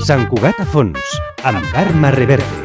Sant Cugat a fons, amb Carme Reverte.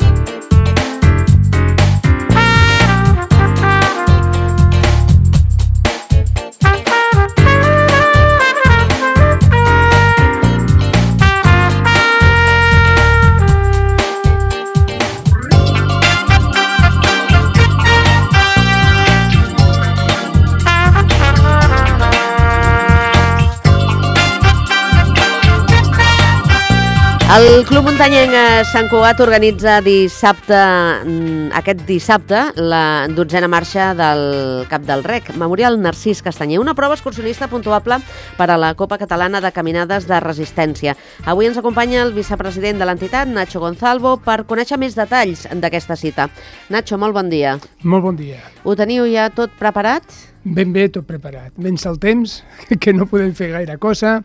El Club Muntanyenc Sant Cugat organitza aquest dissabte la 12a marxa del Cap del Rec, Memorial Narcís Castanyer, una prova excursionista puntuable per a la Copa Catalana de Caminades de Resistència. Avui ens acompanya el vicepresident de l'entitat, Nacho Gonzalvo, per conèixer més detalls d'aquesta cita. Nacho, molt bon dia. Molt bon dia. Ho teniu ja tot preparat? Ben bé, tot preparat. Vens el temps, que no podem fer gaire cosa.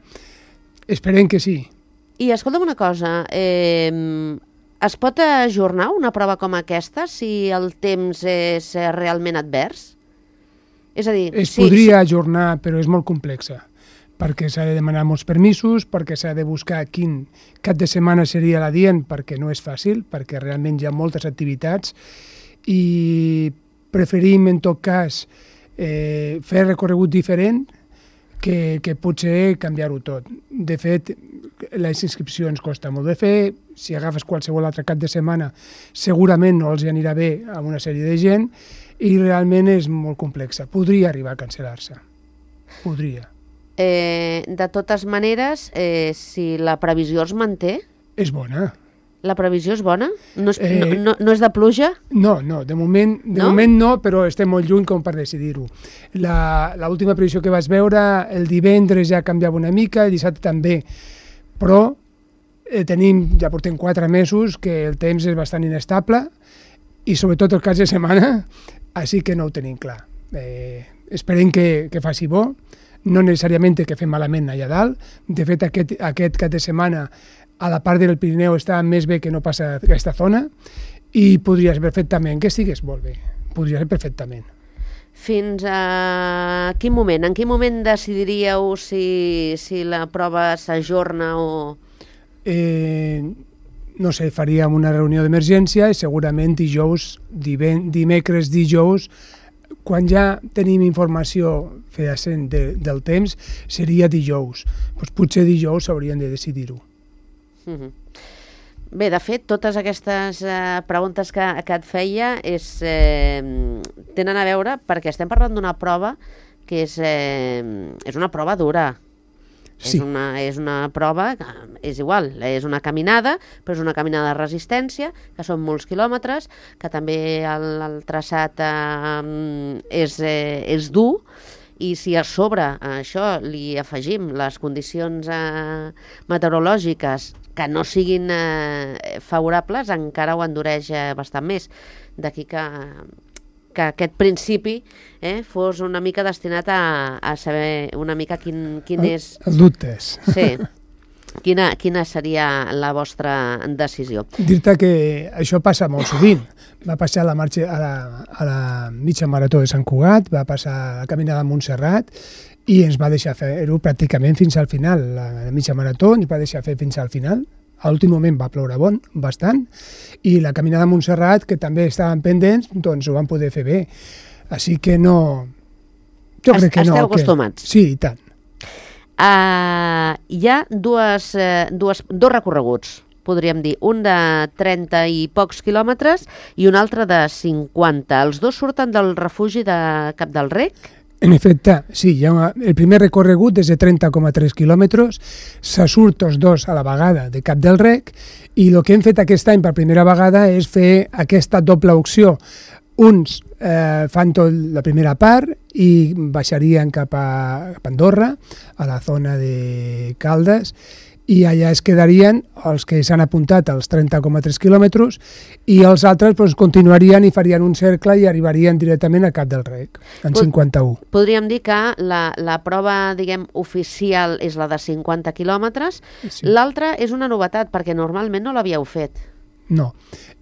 Esperem que sí. I escolta'm una cosa, es pot ajornar una prova com aquesta si el temps és realment advers? És a dir... Podria ajornar, però és molt complexa, perquè s'ha de demanar molts permisos, perquè s'ha de buscar quin cap de setmana seria l'adient, perquè no és fàcil, perquè realment hi ha moltes activitats, i preferim, en tot cas, fer recorregut diferent que potser canviar-ho tot. De fet, les inscripcions costa molt de fer, si agafes qualsevol altre cap de setmana segurament no els anirà bé a una sèrie de gent i realment és molt complexa. Podria arribar a cancel·lar-se. Podria. De totes maneres, si la previsió es manté... És bona. La previsió és bona? No és de pluja? No, de moment no, però estem molt lluny com per decidir-ho. L'última previsió que vaig veure, el divendres ja canviava una mica, el dissabte també, però ja portem 4 mesos que el temps és bastant inestable i sobretot el cap de setmana, així que no ho tenim clar. Esperem que faci bo, no necessàriament que fem malament allà dalt. De fet, aquest cap de setmana a la part del Pirineu està més bé que no passa aquesta zona i podria ser perfectament que estigués molt bé. Podria ser perfectament. Fins a quin moment? En quin moment decidiríeu si la prova s'ajorna o...? No sé, faríem una reunió d'emergència i segurament dimecres, dijous, quan ja tenim informació fehacent del temps, seria dijous. Potser dijous s'haurien de decidir-ho. Bé, de fet, totes aquestes preguntes que et feia tenen a veure perquè estem parlant d'una prova que és una prova dura. Sí. És una prova, és igual, és una caminada, però és una caminada de resistència, que són molts quilòmetres, que també el traçat és dur, i si a sobre això li afegim les condicions meteorològiques que no siguin favorables, encara ho endureix bastant més. D'aquí que aquest principi fos una mica destinat a saber una mica quin és... Els dubtes. Sí. Quina seria la vostra decisió? Dir-te que això passa molt sovint. Va passar a la mitja marató de Sant Cugat, va passar a la caminada a Montserrat i ens va deixar fer-ho pràcticament fins al final. La mitja marató ens va deixar fer fins al final. A l'últim moment va ploure bastant, i la caminada a Montserrat, que també estaven pendents, doncs ho van poder fer bé. Així que no... Jo crec que no. Esteu acostumats? Sí, i tant. Hi ha dos recorreguts, podríem dir, un de 30 i pocs quilòmetres i un altre de 50. Els dos surten del refugi de Cap del Rec? En efecte, sí, el primer recorregut és de 30,3 quilòmetres, se surt tots dos a la vegada de Cap del Rec, i el que hem fet aquest any per primera vegada és fer aquesta doble opció. Uns fan tot la primera part i baixarien cap a Andorra, a la zona de Caldes, i allà es quedarien els que s'han apuntat als 30,3 quilòmetres i els altres continuarien i farien un cercle i arribarien directament a Cap del Rec, en 51. Podríem dir que la prova, diguem, oficial és la de 50 quilòmetres. Sí. L'altra és una novetat, perquè normalment no l'havíeu fet. No.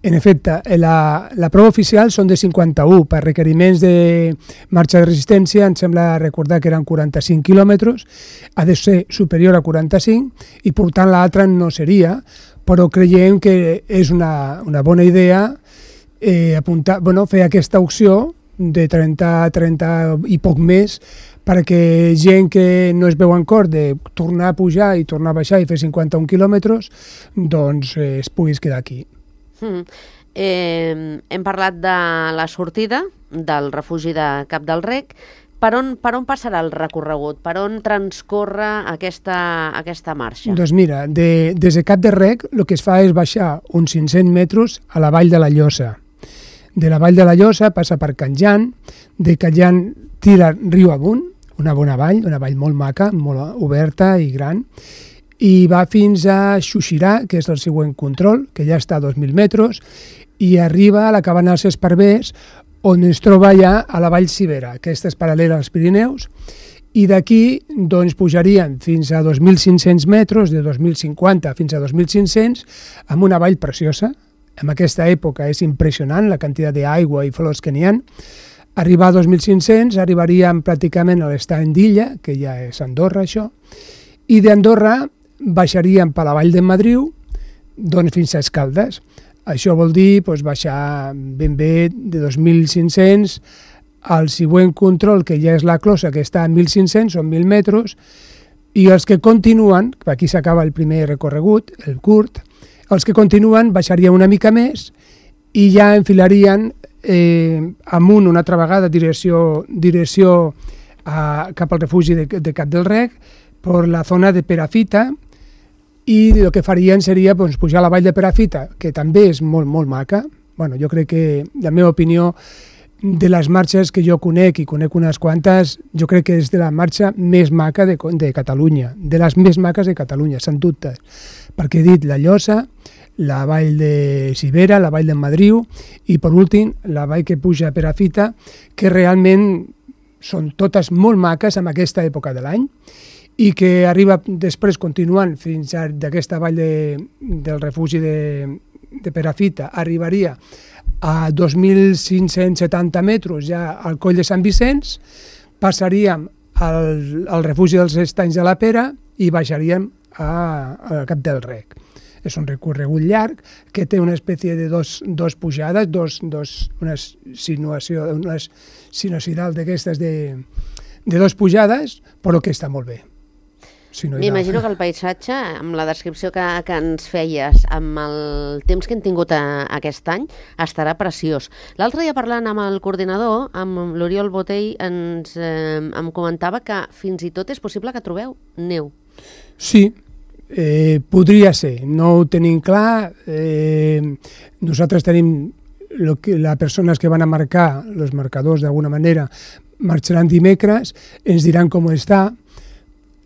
En efecte, la prova oficial són de 51. Per requeriments de marxa de resistència, em sembla recordar que eren 45 quilòmetres, ha de ser superior a 45 i per tant l'altra no seria, però creiem que és una bona idea fer aquesta opció de 30 i poc més perquè gent que no es veu en cor de tornar a pujar i tornar a baixar i fer 51 quilòmetres, doncs es puguis quedar aquí. Hem parlat de la sortida del refugi de Cap del Rec. Per on passarà el recorregut? Per on transcorre aquesta marxa? Doncs mira, des de Cap del Rec el que es fa és baixar uns 500 metres a la vall de la Llosa. De la vall de la Llosa passa per Can Jan, de Can Jan tira riu amunt, una bona vall, una vall molt maca, molt oberta i gran, i va fins a Xuxirà, que és el següent control, que ja està a 2.000 metres, i arriba a la cabana dels Esparvers, on es troba ja a la vall Cibera. Aquesta és paral·lela als Pirineus, i d'aquí doncs, pujaríem fins a 2.500 metres, de 2.050 fins a 2.500, amb una vall preciosa. En aquesta època és impressionant la quantitat d'aigua i flors que n'hi ha. Arribar a 2.500 arribaríem pràcticament a l'estany d'Illa, que ja és Andorra, això, i d'Andorra baixaríem per la vall de Madriu doncs, fins a Escaldes. Això vol dir baixar ben bé de 2.500 al següent control, que ja és la Closa, que està a 1.500, són 1.000 metres, i els que continuen, aquí s'acaba el primer recorregut, el curt, els que continuen baixarien una mica més i ja enfilarien amunt una altra vegada direcció cap al refugi de Cap del Rec per la zona de Perafita, i el que farien seria pujar a la vall de Perafita, que també és molt, molt maca. Bueno, jo crec que, la meva opinió, de les marxes que jo conec, i conec unes quantes, jo crec que és de la marxa més maca de Catalunya, de les més maques de Catalunya, sense dubtes, perquè he dit la Llosa, la vall de Cibera, la vall de Madriu, i per últim la vall que puja a Perafita, que realment són totes molt maques en aquesta època de l'any, i que arriba després continuant fins a d'aquesta vall del refugi de Perafita, arribaria a 2.570 metres ja al coll de Sant Vicenç, passaríem al refugi dels Estanys de la Pera i baixaríem a Cap del Rec. És un recorregut llarg que té una espècie de dos pujades, una sinuosidal d'aquestes de dos pujades, però que està molt bé. M'imagino que el paisatge, amb la descripció que ens feies, amb el temps que hem tingut aquest any, estarà preciós. L'altre dia, parlant amb el coordinador, amb l'Oriol Botell, em comentava que fins i tot és possible que trobeu neu. Sí, podria ser. No ho tenim clar. Nosaltres tenim les persones que van a marcar, els marcadors d'alguna manera, marxaran dimecres, ens diran com està.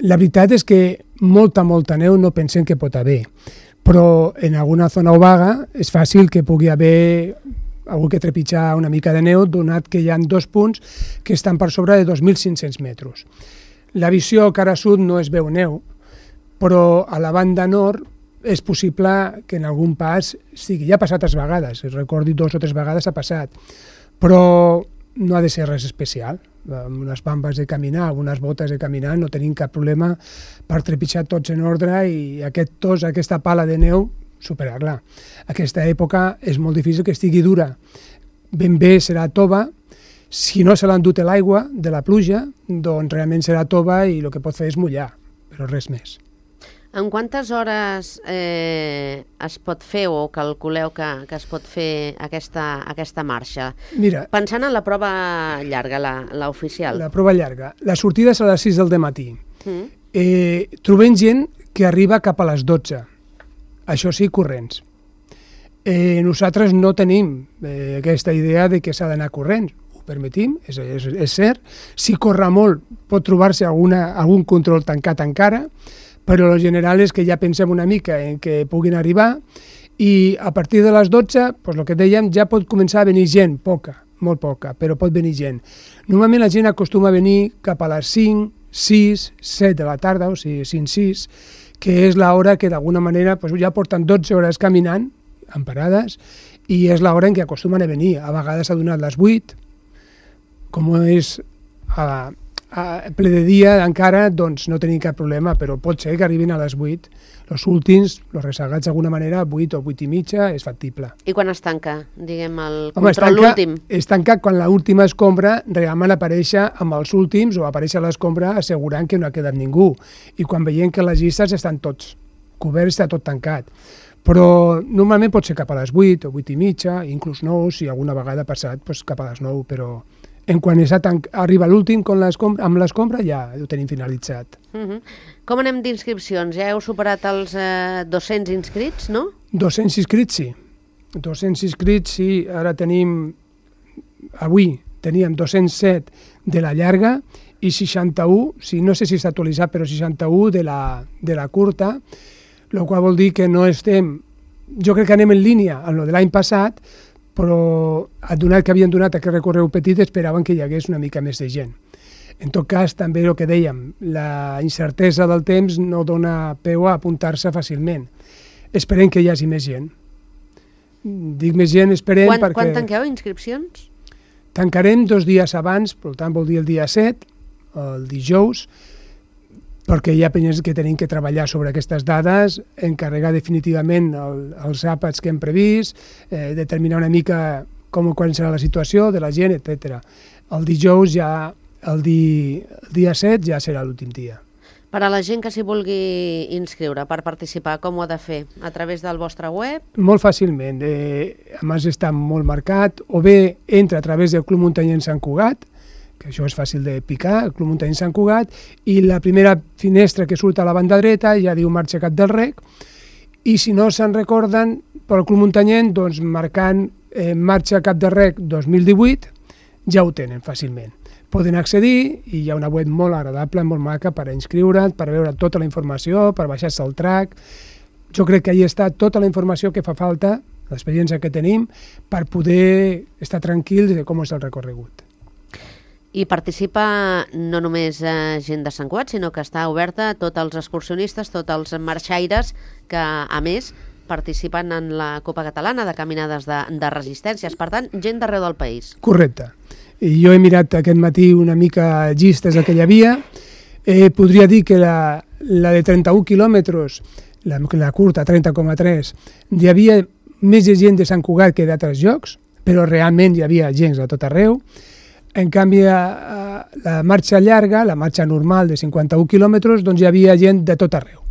La veritat és que molta neu no pensem que pot haver, però en alguna zona obaga és fàcil que pugui haver algú que trepitjar una mica de neu, donat que hi ha 2 punts que estan per sobre de 2.500 metres. La visió cara sud no es veu neu, però a la banda nord és possible que en algun pas sigui. Ja ha passat 3 vegades, recordo 2 o 3 vegades ha passat, però no ha de ser res especial. Amb unes bambes de caminar, amb unes botes de caminar, no tenim cap problema per trepitjar tots en ordre i aquesta pala de neu, superar-la. Aquesta època és molt difícil que estigui dura. Ben bé serà tova. Si no se l'ha endut l'aigua de la pluja, doncs realment serà tova i el que pot fer és mullar, però res més. En quantes hores es pot fer o calculeu que es pot fer aquesta marxa? Mira, pensant en la prova llarga, la oficial. La prova llarga. La sortida és a les 6 del matí. Trobem gent que arriba cap a les 12. Això sí, corrents. Nosaltres no tenim aquesta idea de que s'ha d'anar corrents. Ho permetim, és cert. Si corre molt pot trobar-se algun control tancat encara, però el general és que ja pensem una mica en que puguin arribar i a partir de les 12, el que dèiem, ja pot començar a venir gent, poca, molt poca, però pot venir gent. Normalment la gent acostuma a venir cap a les 5, 6, 7 de la tarda, o sigui 5, 6, que és l'hora que d'alguna manera ja porten 12 hores caminant en parades, i és l'hora en què acostumen a venir. A vegades s'ha donat les 8, com és a ple de dia encara, doncs no tenim cap problema, però pot ser que arribin a les 8. Els últims, els rezagats d'alguna manera, 8 o 8 i mitja, és factible. I quan es tanca, diguem, el control últim? Es tanca quan l'última escombra realment apareix amb els últims o apareix a l'escombra assegurant que no ha quedat ningú. I quan veiem que les llistes estan tots coberts, està tot tancat. Però normalment pot ser cap a les 8 o 8 i mitja, inclús 9, si alguna vegada ha passat, doncs cap a les 9, però en quan arriba l'últim amb l'escombra ja ho tenim finalitzat. Com anem d'inscripcions? Ja heu superat els 200 inscrits, no? 200 inscrits, sí. 200 inscrits, sí. Ara avui teníem 207 de la llarga i 61, no sé si està actualitzat, però 61 de la curta, el qual vol dir que no estem... Jo crec que anem en línia amb el de l'any passat, però donat que havien donat aquest recorregut petit esperaven que hi hagués una mica més de gent. En tot cas, també el que dèiem, la incertesa del temps no dona peu a apuntar-se fàcilment. Esperem que hi hagi més gent. Dic més gent, esperem perquè... Quan tanqueu inscripcions? Tancarem 2 dies abans, per tant vol dir el dia 7, el dijous, perquè hi ha penyes que tenim que treballar sobre aquestes dades, encarregar definitivament els àpats que hem previst, determinar una mica quan serà la situació de la gent, etc. El dijous ja, el dia 7 ja serà l'últim dia. Per a la gent que s'hi vulgui inscriure per participar, com ho ha de fer? A través del vostre web? Molt fàcilment. A més està molt marcat, o bé entra a través del Club Muntanyenc Sant Cugat, que això és fàcil de picar, el Club Muntanyenc Sant Cugat, i la primera finestra que surt a la banda dreta ja diu Marxa Cap del Rec, i si no se'n recorden, pel Club Muntanyenc, doncs marcant Marxa Cap del Rec 2018, ja ho tenen fàcilment. Poden accedir i hi ha una web molt agradable, molt maca per inscriure't, per veure tota la informació, per baixar-se el track. Jo crec que ahí està tota la informació que fa falta, l'experiència que tenim, per poder estar tranquils de com és el recorregut. I participa no només gent de Sant Cugat, sinó que està oberta a tots els excursionistes, tots els marxaires que, a més, participen en la Copa Catalana de Caminades de Resistències. Per tant, gent d'arreu del país. Correcte. Jo he mirat aquest matí una mica llistes que hi havia. Podria dir que la de 31 quilòmetres, la curta, 30,3, hi havia més gent de Sant Cugat que d'altres llocs, però realment hi havia gent de tot arreu. En canvi, la marxa llarga, la marxa normal de 51 quilòmetres, doncs hi havia gent de tot arreu.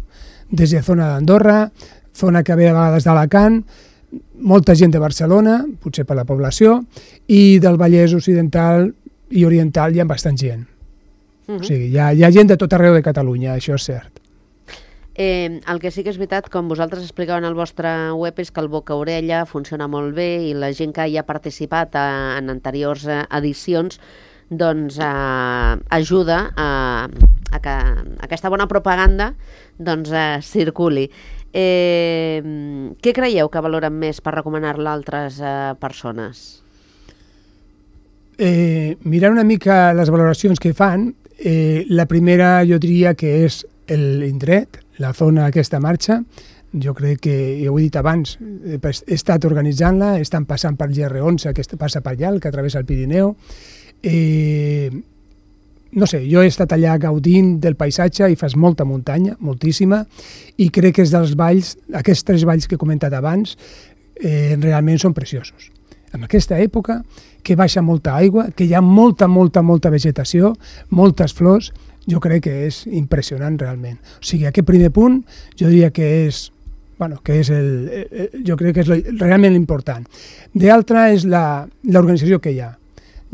Des de zona d'Andorra, zona que ve a vegades d'Alacant, molta gent de Barcelona, potser per la població, i del Vallès Occidental i Oriental hi ha bastant gent. O sigui, hi ha gent de tot arreu de Catalunya, això és cert. El que sí que és veritat, com vosaltres expliceu en el vostre web, és que el boca-orella funciona molt bé i la gent que hi ha participat en anteriors edicions doncs ajuda a que aquesta bona propaganda doncs circuli. Què creieu que valoren més per recomanar-la a altres persones? Mirant una mica les valoracions que fan, la primera jo diria que és l'indret, la zona aquesta marxa. Jo crec que, ja ho he dit abans, he estat organitzant-la, estan passant per GR11, que passa per allà, que travessa el Pirineu. No sé, jo he estat allà gaudint del paisatge i fas molta muntanya, moltíssima, i crec que és dels valls, aquests 3 valls que he comentat abans, realment són preciosos. En aquesta època, que baixa molta aigua, que hi ha molta vegetació, moltes flors, jo crec que és impressionant realment. O sigui, aquest primer punt jo diria que és, jo crec que és realment important. D'altra és l'organització que hi ha.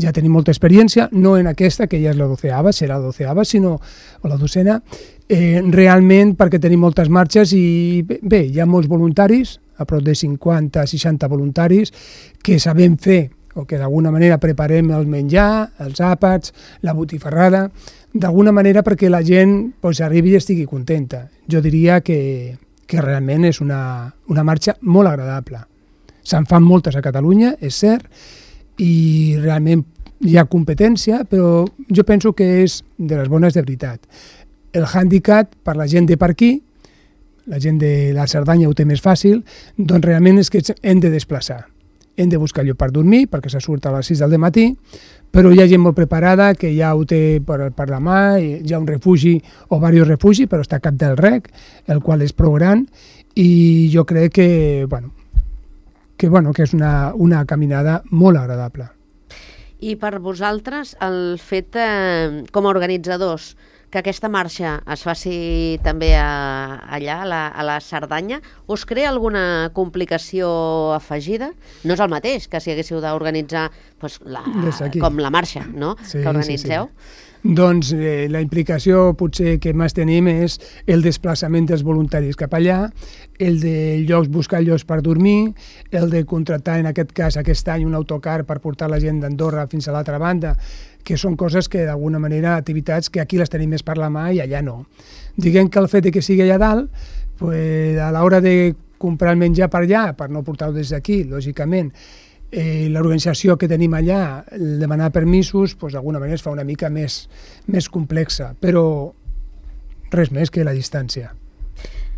Ja tenim molta experiència, no en aquesta, que ja és la 12ª, serà la 12ª, sinó la 12ª, realment perquè tenim moltes marxes i bé, hi ha molts voluntaris, a prop de 50-60 voluntaris, que sabem fer, o que d'alguna manera preparem el menjar, els àpats, la botifarrada, d'alguna manera perquè la gent arribi i estigui contenta. Jo diria que realment és una marxa molt agradable. Se'n fan moltes a Catalunya, és cert, i realment hi ha competència, però jo penso que és de les bones de veritat. El hàndicap per la gent de per aquí, la gent de la Cerdanya ho té més fàcil, doncs realment és que hem de desplaçar. Hem de buscar lloc per dormir, perquè se surt a les 6 del matí, però hi ha gent molt preparada que ja ho té per la mà, hi ha un refugi o diversos refugis, però està a Cap del Rec, el qual és prou gran, i jo crec que és una caminada molt agradable. I per vosaltres, el fet, com a organitzadors, que aquesta marxa es faci també allà, a la Cerdanya, us crea alguna complicació afegida? No és el mateix que si haguéssiu d'organitzar com la marxa, no? Que organitzeu. Sí. Doncs la implicació potser que més tenim és el desplaçament dels voluntaris cap allà, el de buscar llocs per dormir, el de contractar en aquest cas aquest any un autocar per portar la gent d'Andorra fins a l'altra banda, que són coses que d'alguna manera, activitats que aquí les tenim més per la mà i allà no. Diguem que el fet que sigui allà dalt, a l'hora de comprar el menjar per allà, per no portar-ho des d'aquí, lògicament, l'organització que tenim allà, demanar permisos, d'alguna manera es fa una mica més complexa, però res més que la distància.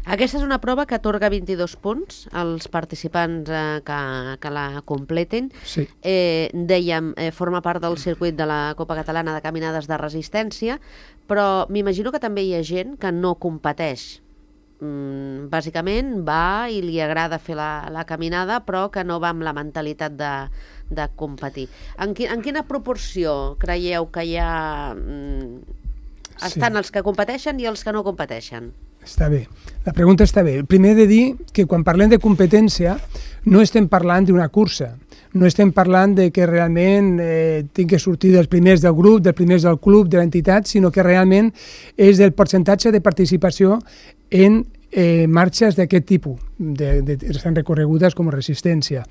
Aquesta és una prova que atorga 22 punts als participants que la completin. Sí. Dèiem, forma part del circuit de la Copa Catalana de Caminades de Resistència, però m'imagino que també hi ha gent que no competeix. Bàsicament va i li agrada fer la caminada, però que no va amb la mentalitat de competir. En quina proporció creieu que hi ha... Estan els que competeixen i els que no competeixen? Està bé. La pregunta està bé. Primer he de dir que quan parlem de competència no estem parlant d'una cursa, no estem parlant de que realment tinc que sortir dels primers del grup, dels primers del club, de l'entitat, sinó que realment és del percentatge de participació en marxes d'aquest tipus, estan recorregudes com a resistència.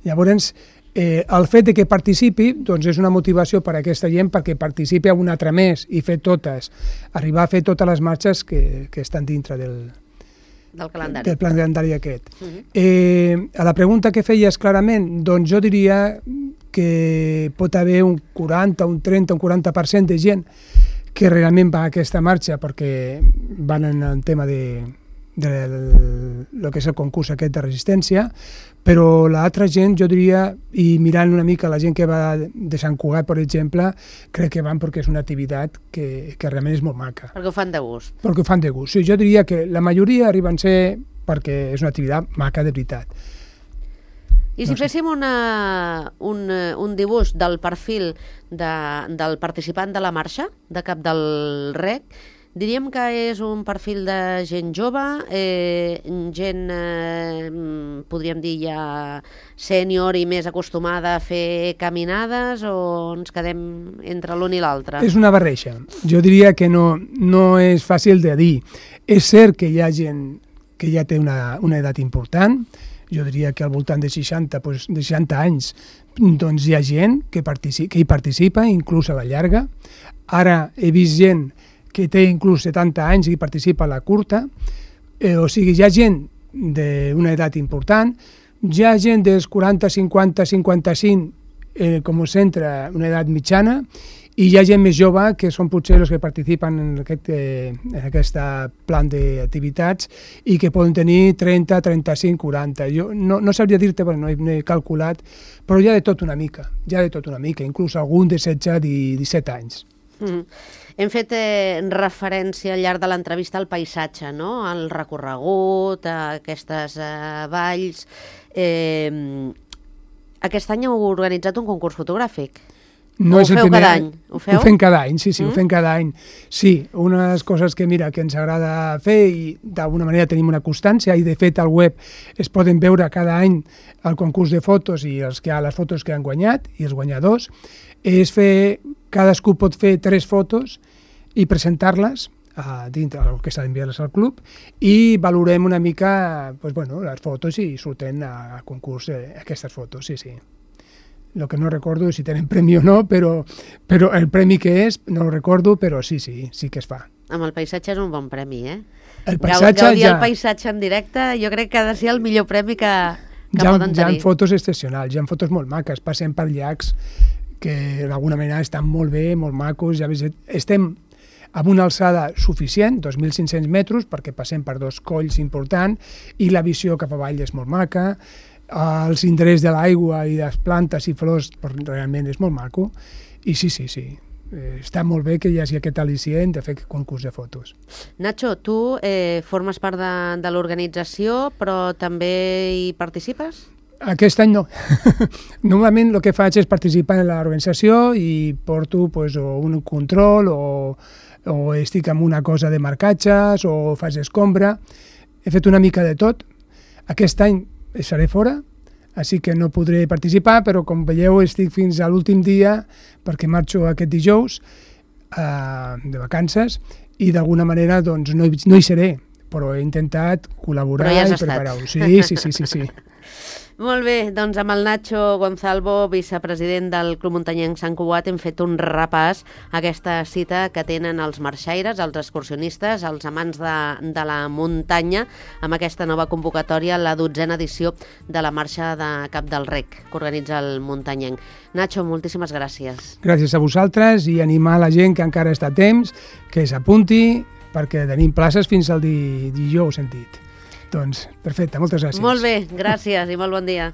Llavors, el fet de que participi doncs és una motivació per a aquesta gent perquè participi a una altra més i fer totes, arribar a fer totes les marxes que estan dintre del calendari aquest. A la pregunta que feies clarament, doncs jo diria que pot haver un 40, un 30, un 40% de gent que realment va a aquesta marxa perquè van en el tema de lo que és el concurs aquest de resistència, però l'altra gent, jo diria, i mirant una mica la gent que va de Sant Cugat, per exemple, crec que van perquè és una activitat que realment és molt maca. Perquè ho fan de gust. Perquè ho fan de gust. Sí, jo diria que la majoria arriben a ser perquè és una activitat maca de veritat. I si féssim un dibuix del perfil del participant de la marxa, de Cap del Rec, diríem que és un perfil de gent jove, gent, podríem dir, ja sènior i més acostumada a fer caminades, o ens quedem entre l'un i l'altre? És una barreja. Jo diria que no és fàcil de dir. És cert que hi ha gent que ja té una edat important, jo diria que al voltant de 60 anys, doncs hi ha gent que hi participa, inclús a la llarga. Ara he vist gent que té inclús 70 anys i participa a la curta, o sigui, hi ha gent d'una edat important, hi ha gent dels 40, 50, 55, com a centre, una edat mitjana, i hi ha gent més jove, que són potser els que participen en aquest plan d'activitats i que poden tenir 30, 35, 40. Jo no sabria dir-te, perquè no he calculat, però hi ha de tot una mica, inclús algun de 16 i 17 anys. Hem fet referència al llarg de l'entrevista al paisatge, no? Al recorregut, a aquestes valls. Aquest any heu organitzat un concurs fotogràfic. No és el feu primer cada any? Ho feu? Ho fem cada any, sí, ho fem cada any. Sí, una de les coses que ens agrada fer i d'alguna manera tenim una constància i de fet al web es poden veure cada any el concurs de fotos i les fotos que han guanyat i els guanyadors, és fer, cadascú pot fer 3 fotos i presentar-les dintre del que s'ha d'enviar-les al club i valorem una mica les fotos i surten a concurs aquestes fotos, sí. El que no recordo si tenen premi o no, però el premi que és, no ho recordo, però sí que es fa. Amb el paisatge és un bon premi, eh? El paisatge Gaudir el paisatge en directe jo crec que ha de ser el millor premi que poden tenir. Hi ha fotos excepcionals, hi ha fotos molt maques, passem per llacs que d'alguna manera estan molt bé, molt macos, ja estem amb una alçada suficient, 2.500 metres, perquè passem per 2 colls importants, i la visió cap avall és molt maca, els indrets de l'aigua i les plantes i flors realment és molt maco, i sí, està molt bé que hi hagi aquest al·licient de fer concurs de fotos. Nacho, tu formes part de l'organització, però també hi participes? Aquest any no. Normalment el que faig és participar en l'organització i porto un control o estic en una cosa de marcatges o faig escombra. He fet una mica de tot. Aquest any estaré fora, així que no podré participar, però com veieu estic fins a l'últim dia perquè marxo aquest dijous de vacances i d'alguna manera doncs, no hi seré, però he intentat col·laborar i preparar-ho. Sí. Molt bé, doncs amb el Nacho Gonzalvo, vicepresident del Club Muntanyenc Sant Cugat, hem fet un repàs a aquesta cita que tenen els marxaires, els excursionistes, els amants de la muntanya, amb aquesta nova convocatòria, la 12a edició de la marxa de Cap del Rec, que organitza el Muntanyenc. Nacho, moltíssimes gràcies. Gràcies a vosaltres i animar la gent que encara està a temps, que s'apunti, perquè tenim places fins al dijous, hem dit. Doncs, perfecte, moltes gràcies. Molt bé, gràcies i molt bon dia.